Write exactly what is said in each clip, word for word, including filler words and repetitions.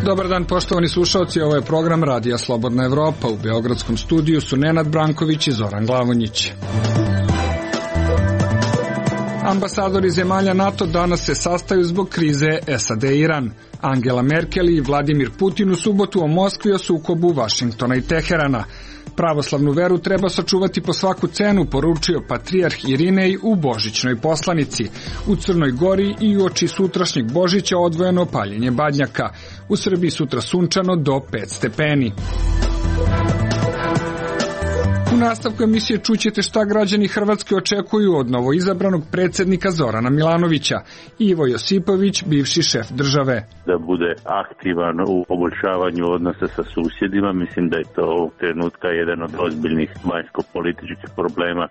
Dobar dan, poštovani slušalci, ovo je program Radija Slobodna Evropa. U beogradskom studiju su Nenad Branković i Zoran Glavonjić. Ambasadori zemalja NATO danas se sastaju zbog krize S A D Iran. Angela Merkel i Vladimir Putin u subotu o Moskvi o sukobu Vašingtona i Teherana. Pravoslavnu veru treba sačuvati po svaku cenu, poručio patrijarh Irinej u božićnoj poslanici. U Crnoj Gori i uoči sutrašnjeg Božića odvojeno paljenje badnjaka. U Srbiji sutra sunčano do pet stepeni. U nastavku emisije čućete šta građani Hrvatske očekuju od novoizabranog predsjednika Zorana Milanovića. Ivo Josipović, bivši šef države. Da bude aktivan u poboljšavanju odnosa sa susjedima, mislim da je to ovog trenutka jedan od ozbiljnih vanjsko-političkih problema.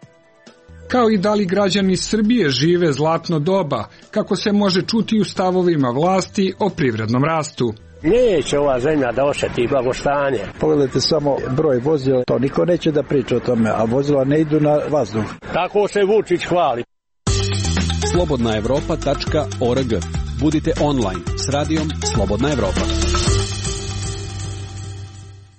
Kao i da li građani Srbije žive zlatno doba, kako se može čuti u stavovima vlasti o privrednom rastu. Neće ova zemlja da osjeti blagostanje. Pogledajte samo broj vozila, to niko neće da priča o tome, a vozila ne idu na vazduh. Tako se Vučić hvali. slobodna evropa tačka org. Budite online s radijom Slobodna Evropa.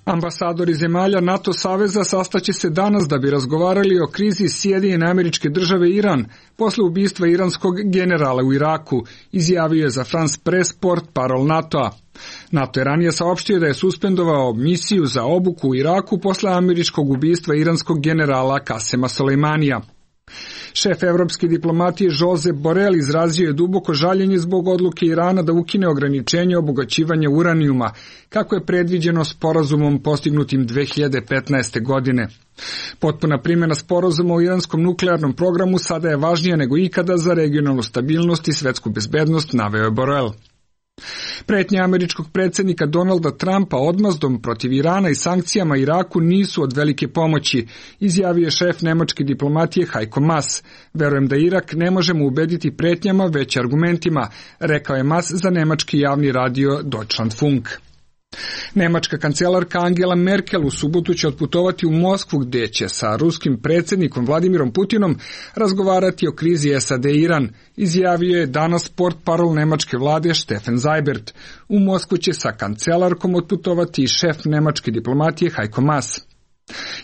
Ambasadori zemalja NATO saveza sastaće se danas da bi razgovarali o krizi Sjedinjene Američke Države i Iran posle ubistva iranskog generala u Iraku, izjavio je za France Press portparol NATO-a. NATO je ranije saopštio da je suspendovao misiju za obuku u Iraku posle američkog ubistva iranskog generala Kasema Solejmanija. Šef evropske diplomatije Josep Borrell izrazio je duboko žaljenje zbog odluke Irana da ukine ograničenje obogaćivanja uranijuma, kako je predviđeno sporazumom postignutim dve hiljade petnaeste. godine. Potpuna primjena sporazuma o iranskom nuklearnom programu sada je važnija nego ikada za regionalnu stabilnost i svetsku bezbednost, naveo je Borrell. Pretnje američkog predsjednika Donalda Trumpa odmazdom protiv Irana i sankcijama Iraku nisu od velike pomoći, izjavio je šef nemačke diplomatije Heiko Maas. Verujem da Irak ne možemo ubediti pretnjama, već argumentima, rekao je Maas za nemački javni radio Deutschlandfunk. Nemačka kancelarka Angela Merkel u subotu će otputovati u Moskvu, gdje će sa ruskim predsjednikom Vladimirom Putinom razgovarati o krizi S A D Iran, izjavio je danas portparol nemačke vlade Steffen Seibert. U Moskvu će sa kancelarkom otputovati i šef nemačke diplomatije Heiko Maas.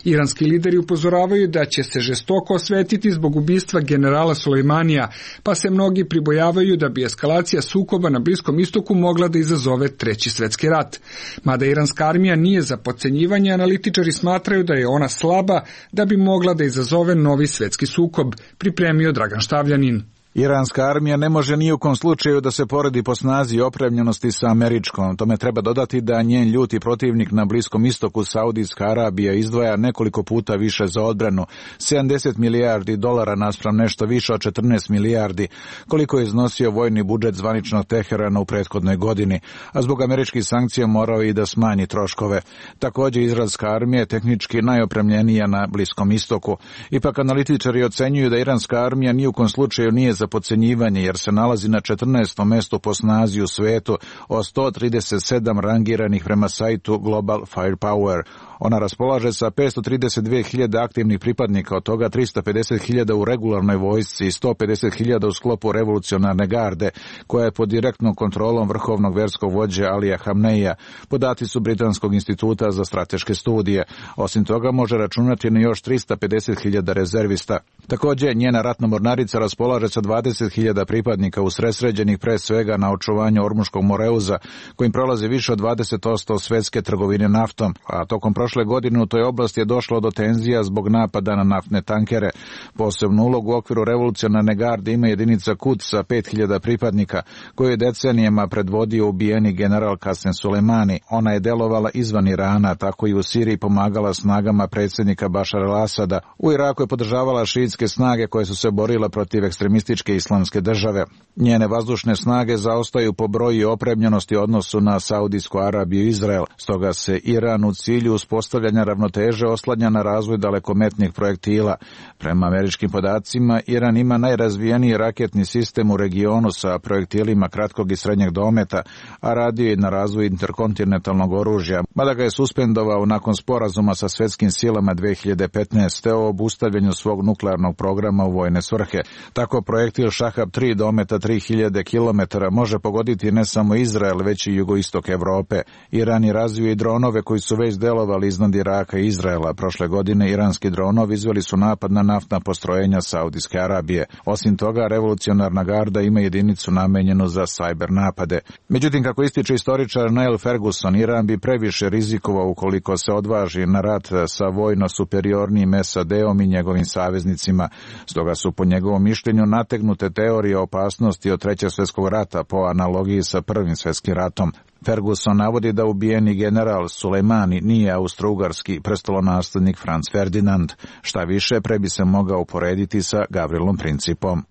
Iranski lideri upozoravaju da će se žestoko osvetiti zbog ubistva generala Sulejmanija, pa se mnogi pribojavaju da bi eskalacija sukoba na Bliskom istoku mogla da izazove treći svjetski rat. Mada iranska armija nije za potcenjivanje, analitičari smatraju da je ona slaba da bi mogla da izazove novi svjetski sukob, pripremio Dragan Štavljanin. Iranska armija ne može ni u kom slučaju da se poredi po snazi i opremljenosti sa američkom. Tome treba dodati da njen ljuti protivnik na Bliskom istoku, Saudijska Arabija, izdvaja nekoliko puta više za odbranu, sedamdeset milijardi dolara naspram nešto više od četrnaest milijardi, koliko je iznosio vojni budžet zvaničnog Teherana u prethodnoj godini, a zbog američkih sankcija morao i da smanji troškove. Također izraelska armija je tehnički najopremljenija na Bliskom istoku. Ipak analitičari ocenjuju da iranska armija ni u kom slučaju nije za podcenjivanje, jer se nalazi na četrnaestom mestu po snazi u svetu od sto trideset sedam rangiranih prema sajtu Global Firepower. Ona raspolaže sa petsto trideset dve hiljade aktivnih pripadnika, od toga tristo pedeset hiljada u regularnoj vojsci i sto pedeset hiljada u sklopu revolucionarne garde, koja je pod direktnom kontrolom vrhovnog verskog vođe Alija Hamneija. Podaci su Britanskog instituta za strateške studije. Osim toga može računati na još tristo pedeset hiljada rezervista. Također njena ratna mornarica raspolaže sa dvadeset hiljada pripadnika usredsređenih pre svega na očuvanju Ormuškog Moreuza, kojim prolazi više od dvadeset posto svjetske trgovine naftom, a tokom prošle godine u toj oblasti je došlo do tenzija zbog napada na naftne tankere. Posebnu ulogu u okviru revolucionarne garde ima jedinica Quds sa pet hiljada pripadnika, koju je decenijama predvodio ubijeni general Kasem Sulejmani. Ona je delovala izvan Irana, tako i u Siriji pomagala snagama predsjednika Bašara al-Asada. U Iraku je podržavala šiitske snage koje su se borile protiv ekstremističke islamske države. Njene vazdušne snage zaostaju po broju i opremljenosti u odnosu na Saudijsku Arabiju i Izrael. Stoga se Iran u cilju uspostavljanja uspostavljanja ravnoteže oslanja na razvoj dalekometnih projektila. Prema američkim podacima, Iran ima najrazvijeniji raketni sistem u regionu sa projektilima kratkog i srednjeg dometa, a radio je na razvoju interkontinentalnog oružja, mada ga je suspendovao nakon sporazuma sa svetskim silama dve hiljade petnaeste. o obustavljanju svog nuklearnog programa u vojne svrhe. Tako projektil Šahab tri dometa tri hiljade kilometara može pogoditi ne samo Izrael, već i jugoistok Evrope. Iran je razvio i dronove koji su već delovali iznad Iraka i Izraela. Prošle godine iranski dronovi izveli su napad na naftna postrojenja Saudijske Arabije. Osim toga, revolucionarna garda ima jedinicu namenjenu za sajber napade. Međutim, kako ističe istoričar Neil Ferguson, Iran bi previše rizikovao ukoliko se odvaži na rat sa vojno superiornim S A D-om i njegovim saveznicima. Stoga su po njegovom mišljenju nategnute teorije opasnosti od Trećeg svjetskog rata po analogiji sa Prvim svjetskim ratom. Ferguson navodi da ubijeni general Sulejmani nije austrougarski prestolonaslednik Franz Ferdinand. Šta više, pre bi se mogao uporediti sa Gavrilom Principom.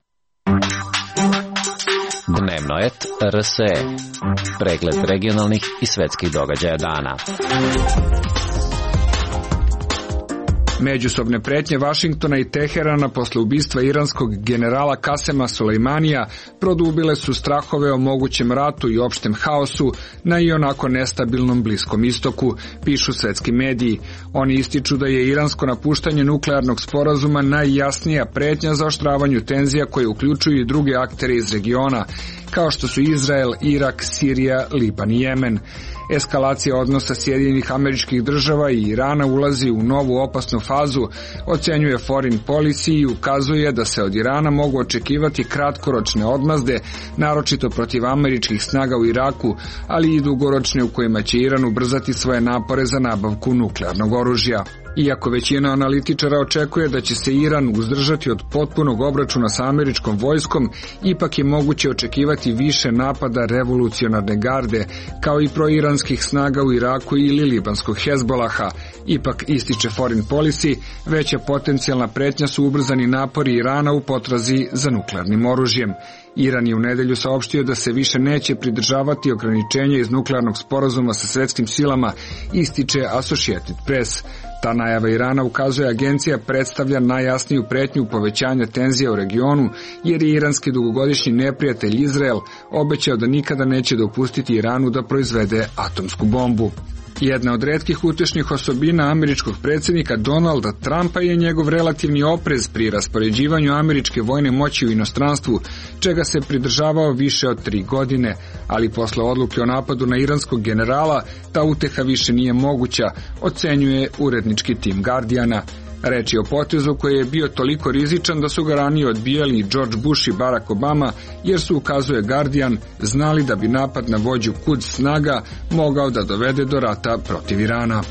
Dnevno et R S E. Pregled regionalnih i svetskih događaja dana. Međusobne pretnje Vašingtona i Teherana posle ubistva iranskog generala Kasema Sulejmanija produbile su strahove o mogućem ratu i opštem haosu na ionako nestabilnom Bliskom istoku, pišu svetski mediji. Oni ističu da je iransko napuštanje nuklearnog sporazuma najjasnija pretnja zaoštravanju tenzija koje uključuju i druge aktere iz regiona, kao što su Izrael, Irak, Sirija, Liban i Jemen. Eskalacija odnosa Sjedinjenih Američkih Država i Irana ulazi u novu opasnu fazu, ocenjuje Foreign Policy i ukazuje da se od Irana mogu očekivati kratkoročne odmazde, naročito protiv američkih snaga u Iraku, ali i dugoročne u kojima će Iran ubrzati svoje napore za nabavku nuklearnog oružja. Iako većina analitičara očekuje da će se Iran uzdržati od potpunog obračuna sa američkom vojskom, ipak je moguće očekivati više napada revolucionarne garde, kao i proiranskih snaga u Iraku ili libanskog Hezbolaha. Ipak, ističe Foreign Policy, veća potencijalna pretnja su ubrzani napori Irana u potrazi za nuklearnim oružjem. Iran je u nedelju saopštio da se više neće pridržavati ograničenja iz nuklearnog sporazuma sa svetskim silama, ističe Associated Press. Ta najava Irana, ukazuje agencija, predstavlja najjasniju pretnju povećanja tenzija u regionu, jer je iranski dugogodišnji neprijatelj Izrael obećao da nikada neće dopustiti Iranu da proizvede atomsku bombu. Jedna od retkih utešnih osobina američkog predsjednika Donalda Trumpa je njegov relativni oprez pri raspoređivanju američke vojne moći u inostranstvu, čega se pridržavao više od tri godine, ali posle odluke o napadu na iranskog generala, ta uteha više nije moguća, ocenjuje urednički tim Guardiana. Reč je o potezu koji je bio toliko rizičan da su ga ranije odbijali George Bush i Barack Obama, jer su, ukazuje Guardian, znali da bi napad na vođu Quds snaga mogao da dovede do rata protiv Irana.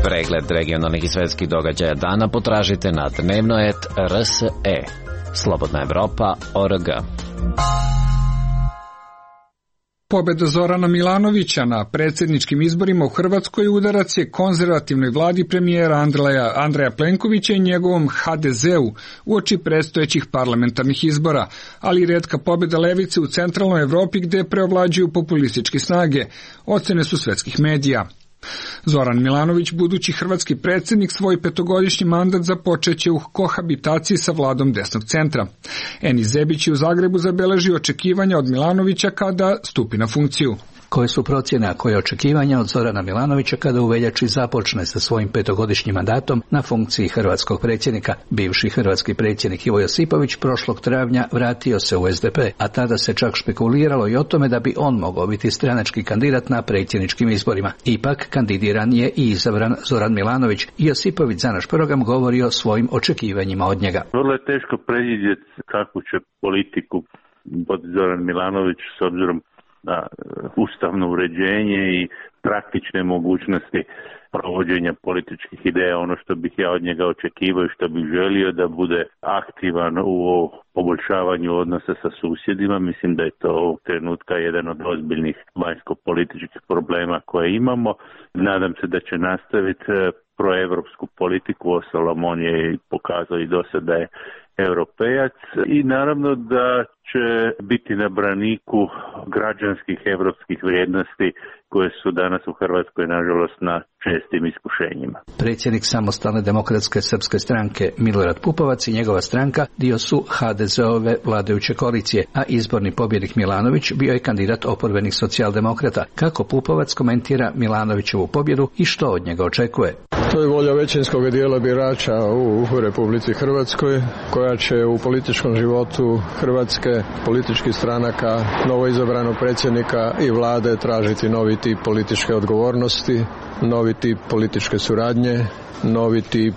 Pregled regionalnih i svetskih događaja dana potražite na dnevno et R S E. Slobodna Evropa O R G. Pobeda Zorana Milanovića na predsjedničkim izborima u Hrvatskoj udarac je konzervativnoj vladi premijera Andreja, Andreja Plenkovića i njegovom H D Z-u uoči predstojećih parlamentarnih izbora, ali i retka pobjeda levice u centralnoj Evropi gde preovlađuju populističke snage, ocene su svetskih medija. Zoran Milanović, budući hrvatski predsjednik, svoj petogodišnji mandat započeće u kohabitaciji sa vladom desnog centra. Eni Zebić je u Zagrebu zabeležio očekivanja od Milanovića kada stupi na funkciju. Koje su procjene, a koje očekivanja od Zorana Milanovića kada u veljači započne sa svojim petogodišnjim mandatom na funkciji hrvatskog predsjednika? Bivši hrvatski predsjednik Ivo Josipović prošlog travnja vratio se u S D P, a tada se čak špekuliralo i o tome da bi on mogao biti stranački kandidat na predsjedničkim izborima. Ipak kandidiran je i izabran Zoran Milanović i Josipović za naš program govori o svojim očekivanjima od njega. Vrlo je teško predvidjeti kakvu će politiku vodi Zoran Milanović s obzirom na ustavno uređenje i praktične mogućnosti provođenja političkih ideja. Ono što bih ja od njega očekivao i što bih želio da bude aktivan u poboljšavanju odnosa sa susjedima. Mislim da je to ovog trenutka jedan od ozbiljnih vanjsko-političkih problema koje imamo. Nadam se da će nastaviti proevropsku politiku, uostalom on je pokazao i do sada je europejac i naravno da će biti na braniku građanskih evropskih vrijednosti koje su danas u Hrvatskoj nažalost na čestim iskušenjima. Predsjednik Samostalne demokratske srpske stranke Milorad Pupovac i njegova stranka dio su ha de ze-ove vladajuće koalicije, a izborni pobjednik Milanović bio je kandidat oporbenih socijaldemokrata. Kako Pupovac komentira Milanovićevu pobjedu i što od njega očekuje? To je volja većinskog dijela birača u Republici Hrvatskoj, koja će u političkom životu Hrvatske, političkih stranaka, novoizabranog predsjednika i vlade tražiti novi tip političke odgovornosti, novi tip političke suradnje, novi tip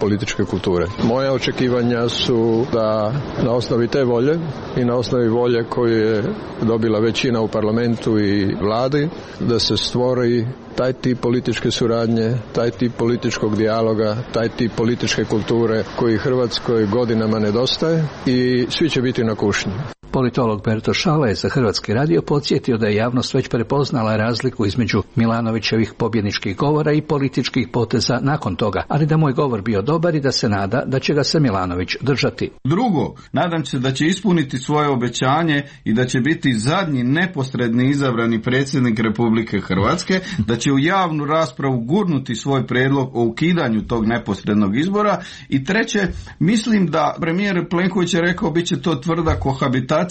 političke kulture. Moja očekivanja su da na osnovi te volje i na osnovi volje koju je dobila većina u parlamentu i vladi, da se stvori taj tip političke suradnje, taj tip političkog dijaloga, taj tip političke kulture koji Hrvatskoj godinama nedostaje i svi će biti na kušnji. Politolog Berto Šala je za Hrvatski radio podsjetio da je javnost već prepoznala razliku između Milanovićevih pobjedničkih govora i političkih poteza nakon toga, ali da moj govor bio dobar i da se nada da će ga se Milanović držati. Drugo, nadam se da će ispuniti svoje obećanje i da će biti zadnji neposredni izabrani predsjednik Republike Hrvatske, da će u javnu raspravu gurnuti svoj prijedlog o ukidanju tog neposrednog izbora. I treće, mislim da premijer Plenković je rekao bit će to tvrda kohabitacija.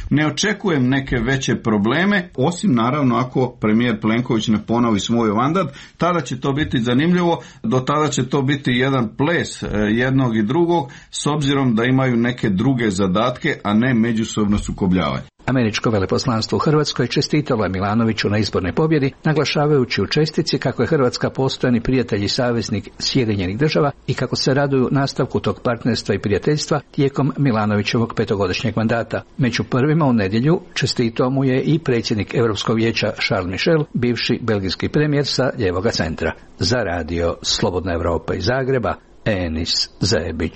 Ne očekujem neke veće probleme, osim naravno ako premijer Plenković ne ponovi svoj mandat, tada će to biti zanimljivo, do tada će to biti jedan ples jednog i drugog, s obzirom da imaju neke druge zadatke, a ne međusobno sukobljavanje. Američko veleposlanstvo u Hrvatskoj čestitalo je Milanoviću na izbornoj pobjedi, naglašavajući u čestici kako je Hrvatska postojani prijatelj i saveznik Sjedinjenih država i kako se raduju nastavku tog partnerstva i prijateljstva tijekom Milanovićevog petogodišnjeg mandata. Među prvima u nedjelju čestitao mu je i predsjednik Europskog vijeća Charles Michel, bivši belgijski premijer sa lijevoga centra. Za radio Slobodna Evropa iz Zagreba, Enis Zebić.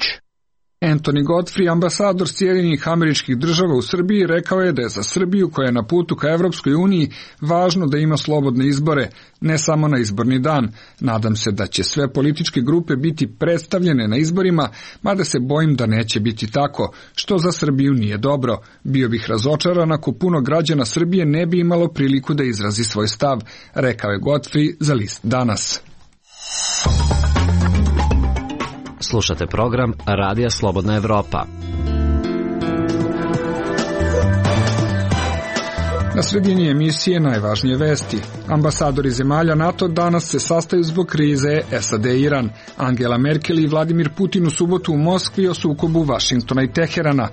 Anthony Godfrey, ambasador Sjedinjenih Američkih Država u Srbiji, rekao je da je za Srbiju, koja je na putu ka Evropskoj uniji, važno da ima slobodne izbore, ne samo na izborni dan. Nadam se da će sve političke grupe biti predstavljene na izborima, mada se bojim da neće biti tako, što za Srbiju nije dobro. Bio bih razočaran ako puno građana Srbije ne bi imalo priliku da izrazi svoj stav, rekao je Godfrey za list Danas. Slušate program Radija Slobodna Evropa. Na sredini emisije najvažnije vesti. Ambasadori zemalja NATO danas se sastaju zbog krize es a de Iran. Angela Merkel i Vladimir Putin u subotu u Moskvi o sukobu Vašingtona i Teherana.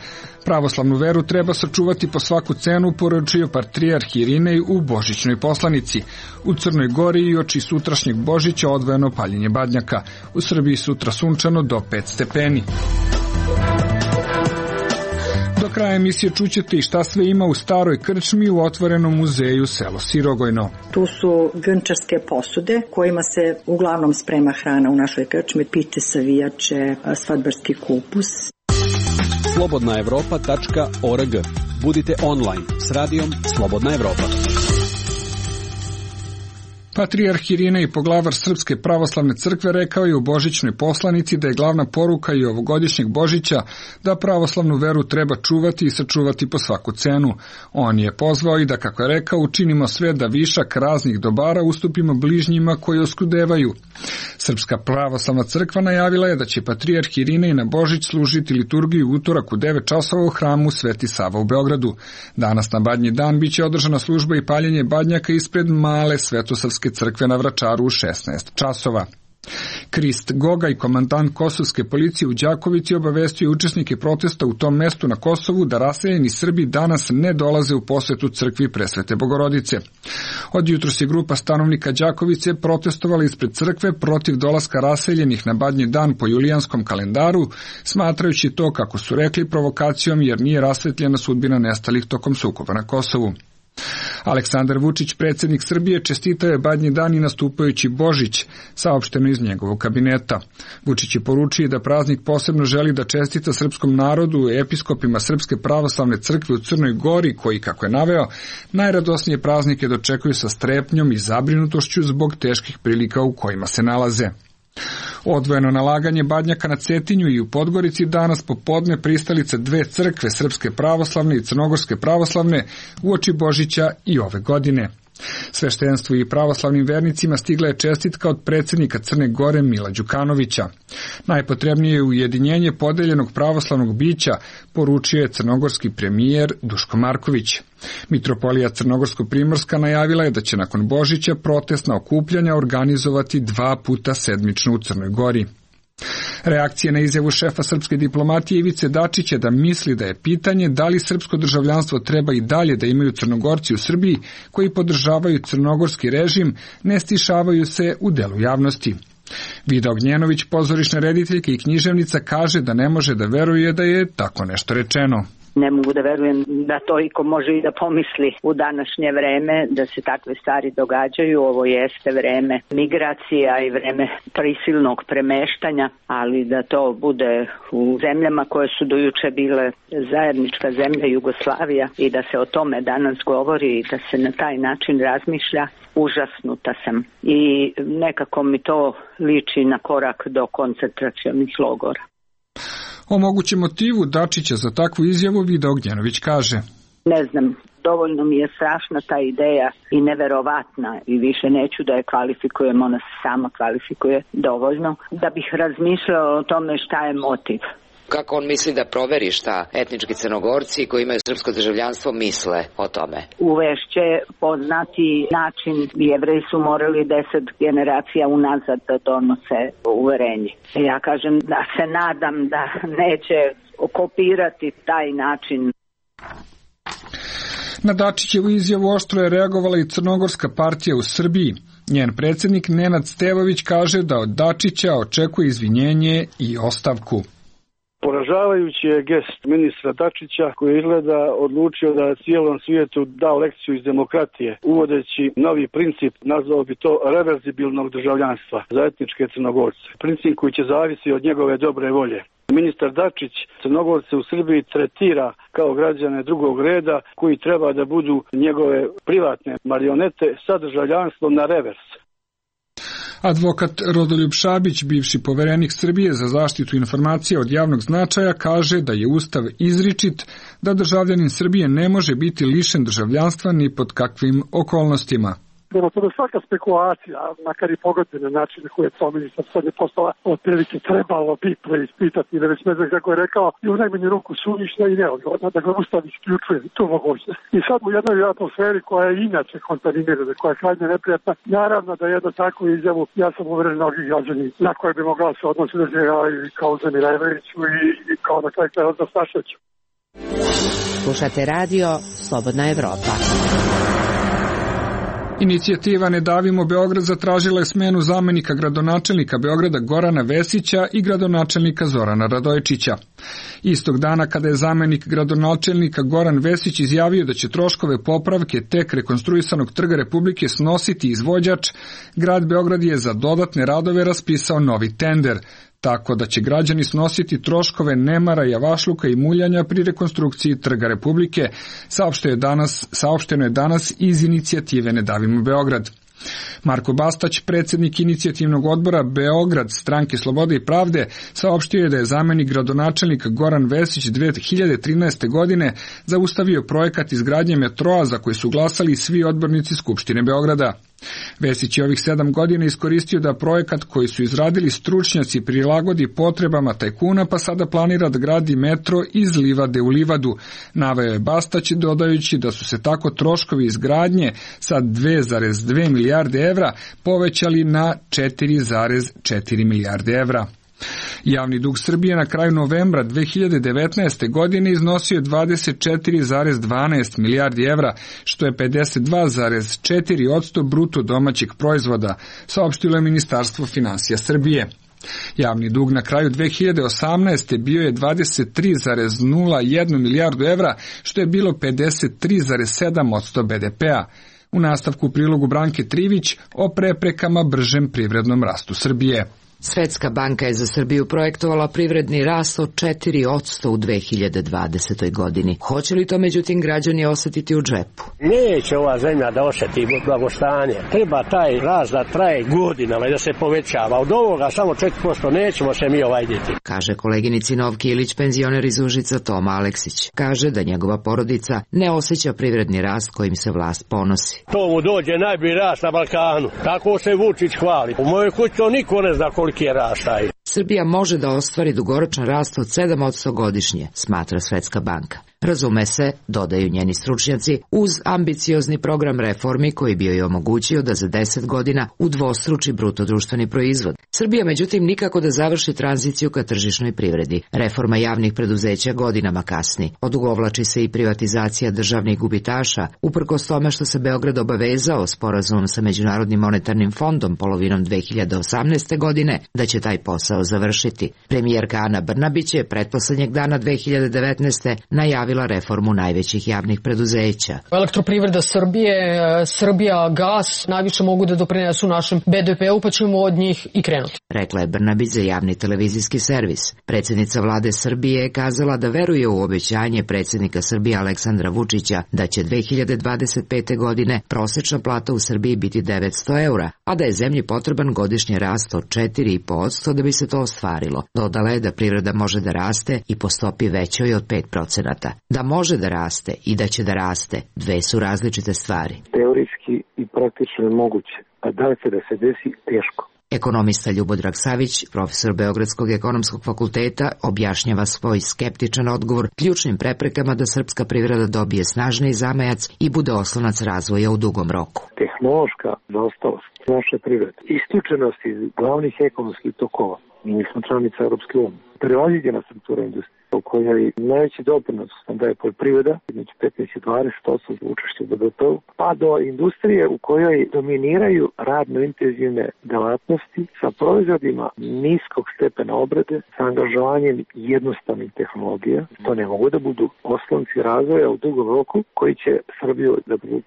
Pravoslavnu veru treba sačuvati po svaku cenu, poručio patrijarh Irinej u božićnoj poslanici. U Crnoj Gori i oči sutrašnjeg Božića odvojeno paljenje badnjaka. U Srbiji sutra sunčano do pet stepeni. Do kraja emisije čućete i šta sve ima u staroj krčmi u otvorenom muzeju selo Sirogojno. Tu su grnčarske posude kojima se uglavnom sprema hrana u našoj krčmi, pite, savijače, svadbarski kupus. slobodna evropa tačka org. Budite online s radijom Slobodna Evropa. Patrijarh Irinej, poglavar Srpske pravoslavne crkve, rekao je u božićnoj poslanici da je glavna poruka i ovogodišnjeg Božića da pravoslavnu veru treba čuvati i sačuvati po svaku cenu. On je pozvao i da, kako je rekao, učinimo sve da višak raznih dobara ustupimo bližnjima koji oskudevaju. Srpska pravoslavna crkva najavila je da će patrijarh Irinej na Božić služiti liturgiju utorak u devet časova u hramu Sveti Sava u Beogradu. Danas na Badnji dan biće održana služba i paljenje badnjaka ispred male Svetosavske crkve na Vračaru u šesnaest časova. Krist Gogaj, komandant kosovske policije u Đakovici, obavestio učesnike protesta u tom mestu na Kosovu da raseljeni Srbi danas ne dolaze u posetu crkvi Presvete Bogorodice. Od jutros je grupa stanovnika Đakovice protestovala ispred crkve protiv dolaska raseljenih na Badnji dan po julijanskom kalendaru, smatrajući to, kako su rekli, provokacijom jer nije rasvetljena sudbina nestalih tokom sukoba na Kosovu. Aleksandar Vučić, predsjednik Srbije, čestitao je Badnji dan i nastupajući Božić, saopšteno iz njegovog kabineta. Vučić je poručio da praznik posebno želi da čestita srpskom narodu, episkopima Srpske pravoslavne crkve u Crnoj Gori, koji, kako je naveo, najradosnije praznike dočekuju sa strepnjom i zabrinutošću zbog teških prilika u kojima se nalaze. Odvojeno nalaganje badnjaka na Cetinju i u Podgorici danas popodne pristalice dve crkve, Srpske pravoslavne i Crnogorske pravoslavne, uoči Božića i ove godine. Sveštenstvu i pravoslavnim vernicima stigla je čestitka od predsjednika Crne Gore Mila Đukanovića. Najpotrebnije je ujedinjenje podeljenog pravoslavnog bića, poručio je crnogorski premijer Duško Marković. Mitropolija Crnogorsko-Primorska najavila je da će nakon Božića protestna okupljanja organizovati dva puta sedmično u Crnoj Gori. Reakcija na izjavu šefa srpske diplomatije Ivice Dačića da misli da je pitanje da li srpsko državljanstvo treba i dalje da imaju Crnogorci u Srbiji koji podržavaju crnogorski režim, ne stišavaju se u delu javnosti. Vida Ognjenović, pozorišna rediteljka i književnica, kaže da ne može da veruje da je tako nešto rečeno. Ne mogu da verujem da to iko može i da pomisli u današnje vreme, da se takve stvari događaju. Ovo jeste vreme migracija i vreme prisilnog premeštanja, ali da to bude u zemljama koje su dojuče bile zajednička zemlja Jugoslavija i da se o tome danas govori i da se na taj način razmišlja, užasnuta sam. I nekako mi to liči na korak do koncentracionih logora. O mogućem motivu Dačića za takvu izjavu Vida Ognjenović kaže: Ne znam, dovoljno mi je strašna ta ideja i neverovatna i više neću da je kvalifikujem, ona se sama kvalifikuje dovoljno, da bih razmišljala o tome šta je motiv. Kako on misli da proveri šta etnički Crnogorci koji imaju srpsko državljanstvo misle o tome? Uvešće poznati način, Jevreji su morali deset generacija unazad da donose uverenje. Ja kažem da se nadam da neće okopirati taj način. Na Dačićevu izjavu oštro je reagovala i Crnogorska partija u Srbiji. Njen predsjednik Nenad Stevović kaže da od Dačića očekuje izvinjenje i ostavku. Poražavajući je gest ministra Dačića koji izgleda odlučio da cijelom svijetu dao lekciju iz demokratije, uvodeći novi princip, nazvao bi to reverzibilnog državljanstva za etničke Crnogorce. Princip koji će zavisi od njegove dobre volje. Ministar Dačić Crnogorce u Srbiji tretira kao građane drugog reda koji treba da budu njegove privatne marionete sa državljanstvom na revers. Advokat Rodoljub Šabić, bivši poverenik Srbije za zaštitu informacija od javnog značaja, kaže da je Ustav izričit da državljanin Srbije ne može biti lišen državljanstva ni pod kakvim okolnostima. Prema tome svaka spekulacija, makar i pogodbene načine koje je to ministar sad je postala otprilike trebalo bi preispitati, ili već ne znam kako je rekao, i u najmanju ruku suvišna i neodgovorna, dakle Ustav isključuje tu mogućnost. I sad u jednoj atmosferi koja je inače kontaminirana, koja je krajnje neprijatna, naravno da jedno takvu izjavu, ja sam uveren mnogi građani na koje bi mogla se odnositi da i kao Zemireviću i, i kao na kraju kraja od Staševiću. Slušate radio Slobodna Evropa. Inicijativa Ne davimo Beograd zatražila je smenu zamenika gradonačelnika Beograda Gorana Vesića i gradonačelnika Zorana Radojčića. Istog dana kada je zamenik gradonačelnika Goran Vesić izjavio da će troškove popravke tek rekonstruisanog Trga Republike snositi izvođač, grad Beograd je za dodatne radove raspisao novi tender, tako da će građani snositi troškove nemara, javašluka i muljanja pri rekonstrukciji Trga Republike, saopšteno je danas, saopšteno je danas iz inicijative Ne davimo Beograd. Marko Bastać, predsjednik inicijativnog odbora Beograd Stranke Slobode i Pravde, saopštio je da je zamenik gradonačelnika Goran Vesić dve hiljade trinaeste. godine zaustavio projekat izgradnje metroa za koji su glasali svi odbornici Skupštine Beograda. Vesić je ovih sedam godina iskoristio da projekat koji su izradili stručnjaci prilagodi potrebama tajkuna, pa sada planira da gradi metro iz livade u livadu. Naveo je Bastać, dodajući da su se tako troškovi izgradnje sa dve zarez dve milijarde evra povećali na četiri zarez četiri milijarde evra. Javni dug Srbije na kraju novembra dve hiljade devetnaeste. godine iznosio je dvadeset četiri zarez dvanaest milijardi evra, što je pedeset dva zarez četiri posto bruto domaćeg proizvoda, saopštilo je Ministarstvo finansija Srbije. Javni dug na kraju dve hiljade osamnaeste. bio je dvadeset tri zarez nula jedan milijardu evra, što je bilo pedeset tri zarez sedam posto be de pea. U nastavku prilogu Branke Trivić o preprekama bržem privrednom rastu Srbije. Svetska banka je za Srbiju projektovala privredni rast od četiri posto u dve hiljade dvadesetoj godini. Hoće li to međutim građani osetiti u džepu? Neće ova zemlja da osjeti blagostanje. Treba taj rast da traje godinama i da se povećava. Od ovoga samo četiri posto nećemo se mi ovajditi. Kaže koleginici Novki Ilić, penzioner iz Užica Toma Aleksić. Kaže da njegova porodica ne osjeća privredni rast kojim se vlast ponosi. To mu dođe najbolji rast na Balkanu. Tako se Vučić hvali. U mojoj kući to niko ne zna koliki je rast taj. Srbija može da ostvari dugoročan rast od sedam posto godišnje, smatra Svetska banka. Razume se, dodaju njeni stručnjaci, uz ambiciozni program reformi koji bi joj omogućio da za deset godina udvostruči bruto društveni proizvod. Srbija međutim nikako da završi tranziciju ka tržišnoj privredi. Reforma javnih preduzeća godinama kasni. Odugovlači se i privatizacija državnih gubitaša, uprkos tome što se Beograd obavezao sporazumom sa Međunarodnim monetarnim fondom polovinom dve hiljade osamnaeste. godine da će taj posao završiti. Premijerka Ana Brnabić je pretposlednjeg dana dve hiljade devetnaeste. najavila reformu najvećih javnih preduzeća. Elektroprivreda Srbije, Srbija gas najviše mogu da doprinesu našem be de pe u, pa ćemo od njih i krenuti. Rekla je Brnabić za javni televizijski servis. Predsjednica vlade Srbije je kazala da veruje u obećanje predsjednika Srbije Aleksandra Vučića da će dve hiljade dvadeset pete. godine prosečna plata u Srbiji biti devetsto eura, a da je zemlji potreban godišnji rast od četiri posto da bi se to ostvarilo. Dodala je da privreda može da raste i po stopi većoj od pet procenata. Da može da raste i da će da raste, dve su različite stvari. Teorijski i praktično je moguće, a da li će da se desi, teško. Ekonomista Ljubodrag Savić, profesor Beogradskog ekonomskog fakulteta, objašnjava svoj skeptičan odgovor ključnim preprekama da srpska privreda dobije snažniji zamajac i bude oslonac razvoja u dugom roku. Tehnološka zaostalost naše privrede, isključenost iz glavnih ekonomskih tokova, mi smo članica Europske unije, prevaziđena struktura industrije, u kojoj najveći doprinos nam daje poljoprivreda, između petnaest i dvadeset posto za učešće u be de pe-u, pa do industrije u kojoj dominiraju radno intenzivne delatnosti sa proizvodima niskog stepena obrade, sa angažovanjem jednostavnih tehnologija. To ne mogu da budu oslonci razvoja u dugom roku koji će Srbiju da budu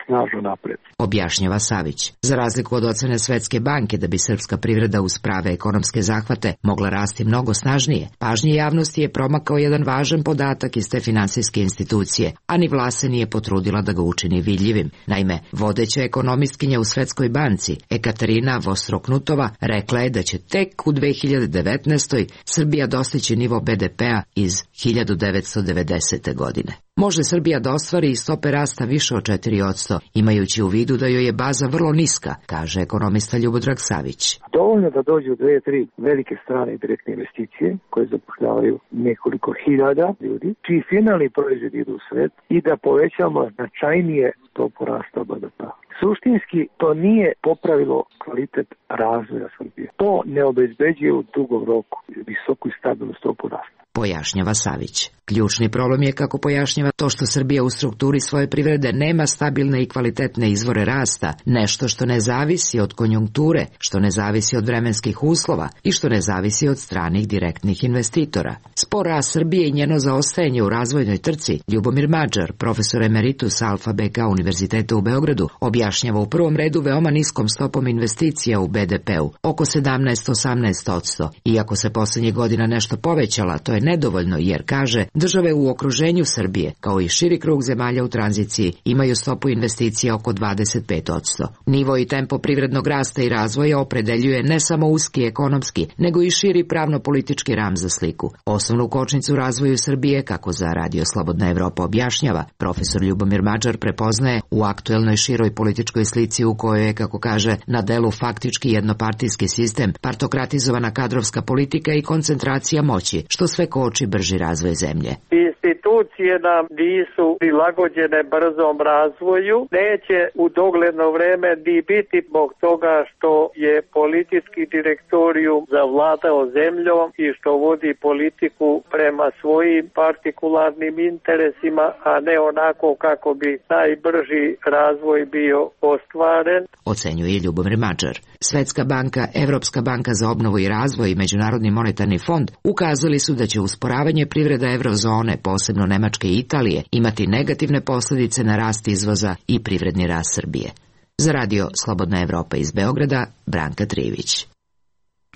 snažno napred. Objašnjava Savić. Za razliku od ocene Svetske banke da bi srpska privreda uz prave ekonomske zahvate mogla rasti mnogo snažnije, pažnji javnosti je promak kao jedan važan podatak iz te finansijske institucije, a ni vlast se nije potrudila da ga učini vidljivim. Naime, vodeća ekonomistkinja u Svetskoj banci, Ekaterina Vostroknutova, rekla je da će tek u dve hiljade devetnaestoj. Srbija dostići nivo be de pe-a iz hiljadu devetsto devedesete. godine. Može Srbija da ostvari i stope rasta više od četiri posto, imajući u vidu da joj je baza vrlo niska, kaže ekonomista Ljubodrag Savić. Dovoljno da dođu dve, tri velike strane direktne investicije koje zapošljavaju nekoliko hiljada ljudi, čiji finalni proizvod idu u svet i da povećamo značajnije stopu rasta be de pe-a. Suštinski to nije popravilo kvalitet razvoja Srbije. To ne obezbeđuje u dugom roku visoku i stabilnu stopu rasta. Pojašnjava Savić. Ključni problem je, kako pojašnjava, to što Srbija u strukturi svoje privrede nema stabilne i kvalitetne izvore rasta, nešto što ne zavisi od konjunkture, što ne zavisi od vremenskih uslova i što ne zavisi od stranih direktnih investitora. Spor rast Srbije i njeno zaostajanje u razvojnoj trci, Ljubomir Mađar, profesor emeritus Alfa be ka Univerziteta u Beogradu, objašnjava u prvom redu veoma niskom stopom investicija u be de pe-u, oko sedamnaest do osamnaest posto. Iako se poslednjih godina nešto povećala, to je nedovoljno jer, kaže, države u okruženju Srbije, kao i širi krug zemalja u tranziciji, imaju stopu investicija oko dvadeset pet posto. Nivo i tempo privrednog rasta i razvoja opredeljuje ne samo uski ekonomski, nego i širi pravno-politički ram za sliku. Osnovnu kočnicu razvoju Srbije, kako za Radio Slobodna Evropa objašnjava, profesor Ljubomir Mađar prepoznaje u aktuelnoj široj političkoj slici u kojoj je, kako kaže, na delu faktički jednopartijski sistem, partokratizovana kadrovska politika i koncentracija moći, što sve koči brži razvoj zemlje. Institucije nam nisu prilagođene brzom razvoju, neće u dogledno vreme ni biti zbog toga što je politički direktorijum zavladao zemljom i što vodi politiku prema svojim partikularnim interesima, a ne onako kako bi najbrži razvoj bio ostvaren. Ocenjuje Ljubomir Mađar. Svetska banka, Evropska banka za obnovu i razvoj i Međunarodni monetarni fond ukazali su da će usporavanje privreda evrozone, posebno Nemačke i Italije, imati negativne posljedice na rast izvoza i privredni rast Srbije. Za Radio Slobodna Evropa iz Beograda, Branka Trivić.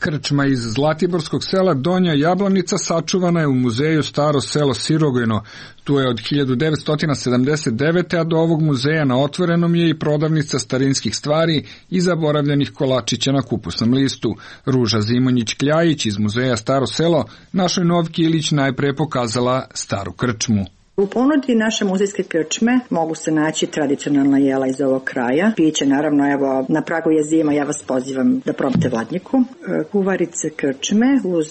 Krčma iz zlatiborskog sela Donja Jablanica sačuvana je u muzeju Staro selo Sirogojno. Tu je od hiljadu devetsto sedamdeset devete. a do ovog muzeja na otvorenom je i prodavnica starinskih stvari i zaboravljenih kolačića na kupusnom listu. Ruža Zimonjić-Kljajić iz muzeja Staro selo našoj Novki Ilić najpre pokazala staru krčmu. U ponudi naše muzejske krčme mogu se naći tradicionalna jela iz ovog kraja. Piće, naravno, evo, na pragu je zima, ja vas pozivam da probate vladnjiku. Kuvarice krčme uz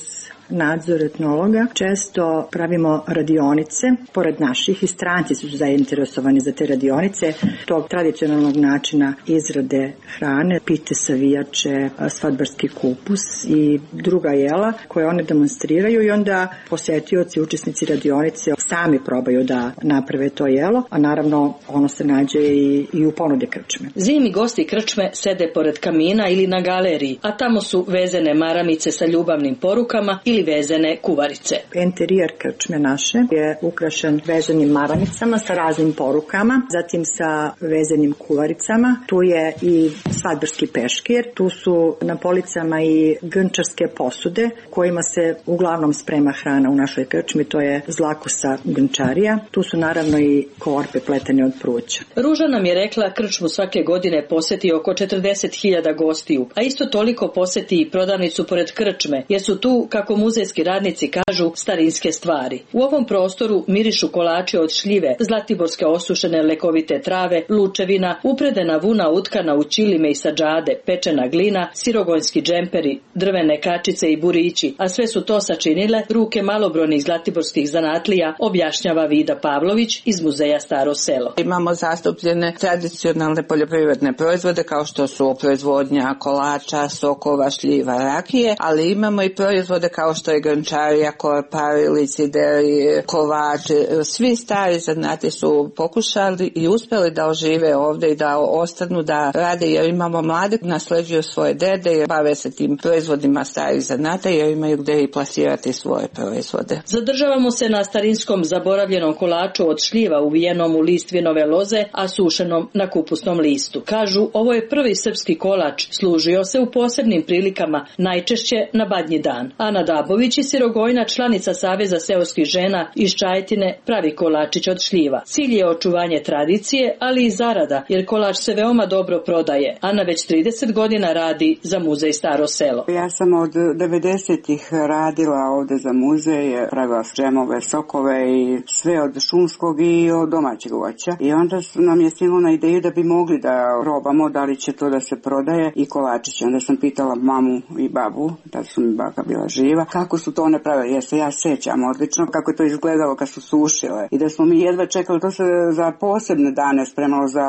nadzor etnologa. Često pravimo radionice, pored naših, i stranci su zainteresovani za te radionice, tog tradicionalnog načina izrade hrane, pite, savijače, svadbarski kupus i druga jela koje one demonstriraju i onda posetioci, učesnici radionice sami probaju da naprave to jelo, a naravno ono se nađe i, i u ponudi krčme. Zimi gosti krčme sede pored kamina ili na galeriji, a tamo su vezene maramice sa ljubavnim porukama ili vezene kuvarice. Interijer krčme naše je ukrašen vezanim maramicama sa raznim porukama, zatim sa vezanim kuvaricama. Tu je i svadbarski peškir, tu su na policama i grnčarske posude kojima se uglavnom sprema hrana u našoj krčmi, to je zlakosa grnčarija. Tu su naravno i korpe pletene od pruća. Ruža nam je rekla krčmu svake godine poseti oko četrdeset hiljada gostiju, a isto toliko poseti i prodavnicu pored krčme, jer su tu, kako muzejski radnici kažu, starinske stvari. U ovom prostoru mirišu kolači od šljive, zlatiborske osušene lekovite trave, lučevina, upredena vuna utkana u ćilime i sađade, pečena glina, sirogojski džemperi, drvene kačice i burići, a sve su to sačinile ruke malobrojnih zlatiborskih zanatlija, objašnjava Vida Pavlović iz muzeja Staro selo. Imamo zastupljene tradicionalne poljoprivredne proizvode kao što su proizvodnja kolača, sokova, šljiva, rakije, ali imamo i proizvode kao što je grnčarija, korpari, licideri, kovači. Svi stari zanati su pokušali i uspjeli da ožive ovdje i da ostanu da rade, jer imamo mlade, nasleđuju svoje dede i bave se tim proizvodima starih zanata jer imaju gdje i plasirati svoje proizvode. Zadržavamo se na starinskom zaboravljenom kolaču od šljiva uvijenom u list vinove loze, a sušenom na kupusnom listu. Kažu, ovo je prvi srpski kolač, služio se u posebnim prilikama, najčešće na Badnji dan. Ana Dabović iz Sirogojna, članica Saveza seoskih žena iz Čajetine, pravi kolačić od šljiva. Cilj je očuvanje tradicije, ali i zarada, jer kolač se veoma dobro prodaje. Ana već trideset godina radi za muzej Staro selo. Ja sam od devedesetih radila ovdje za muzej, pravila džemove, sokove i sve od šumskog i od domaćeg voća. I onda nam je stiglo na ideju da bi mogli da probamo da li će to da se prodaje i kolačiće. Onda sam pitala mamu i babu, da su mi baka bila živa, kako su to one pravile. Jer se ja sećam odlično kako je to izgledalo kad su sušile. I da smo mi jedva čekali, to se za posebne dane spremalo, za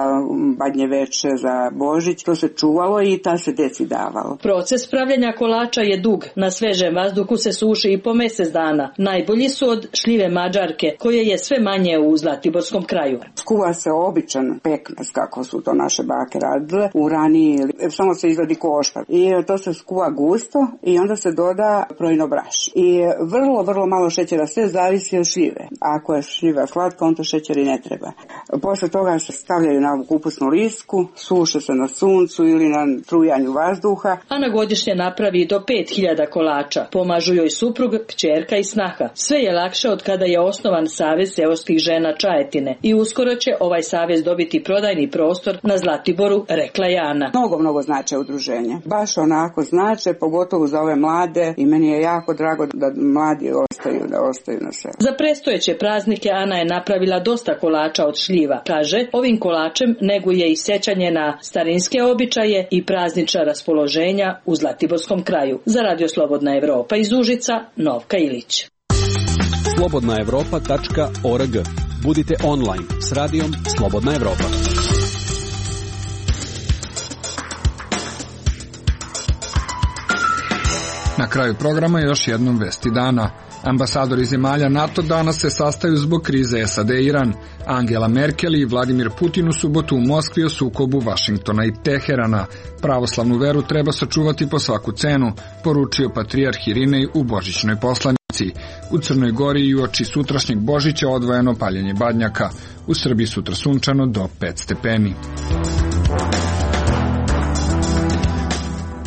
Badnje veče, za Božić, to se čuvalo i ta se deci davalo. Proces pravljenja kolača je dug. Na svežem vazduhu se suši i po mjesec dana. Najbolji su od šljive mađarke, koje je sve manje u zlatiborskom kraju. Skuva se običan pekmez, kako su to naše bake radile, u raniji, samo se izvadi košpar. I to se skuva gusto i onda se doda projno braš. I vrlo, vrlo malo šećera, sve zavisi od šljive. Ako je šljiva slatka, on to šećer i ne treba. Posle toga se stavljaju na kupusnu lisku, suše se na suncu ili na strujanju vazduha. Ana godišnje napravi do pet hiljada kolača. Pomažu joj suprug, kćerka i snaha. Sve je lakše od kada je osnovan Savez seoskih žena Čajetine i uskoro će ovaj savez dobiti prodajni prostor na Zlatiboru, rekla je Ana. Mnogo, mnogo znače udruženje. Baš onako znače, pogotovo za ove mlade, i meni je jako drago da mladi ostaju, da ostaju na selu. Za predstojeće praznike Ana je napravila dosta kolača od šljiva. Kaže, ovim kolačem neguje i sećanje na starinske običaje i praznična raspoloženja u Zlatiborskom kraju. Za Radio Slobodna Evropa iz Užica, Novka Ilić. slobodna evropa tačka org. Budite online s radijom Slobodna Evropa. Na kraju programa još jednom vesti dana. Ambasadori zemalja NATO danas se sastaju zbog krize S A D Iran. Angela Merkel i Vladimir Putin u subotu u Moskvi o sukobu Vašingtona i Teherana. Pravoslavnu veru treba sačuvati po svaku cenu, poručio patrijarh Irinej u božićnoj poslanici. U Crnoj Gori i uoči sutrašnjeg Božića odvojeno paljenje badnjaka. U Srbiji sutra sunčano do pet stepeni.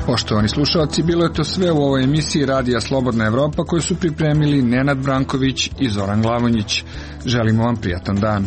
Poštovani slušalci, bilo je to sve u ovoj emisiji Radija Slobodna Evropa koju su pripremili Nenad Branković i Zoran Glavonjić. Želimo vam prijatan dan.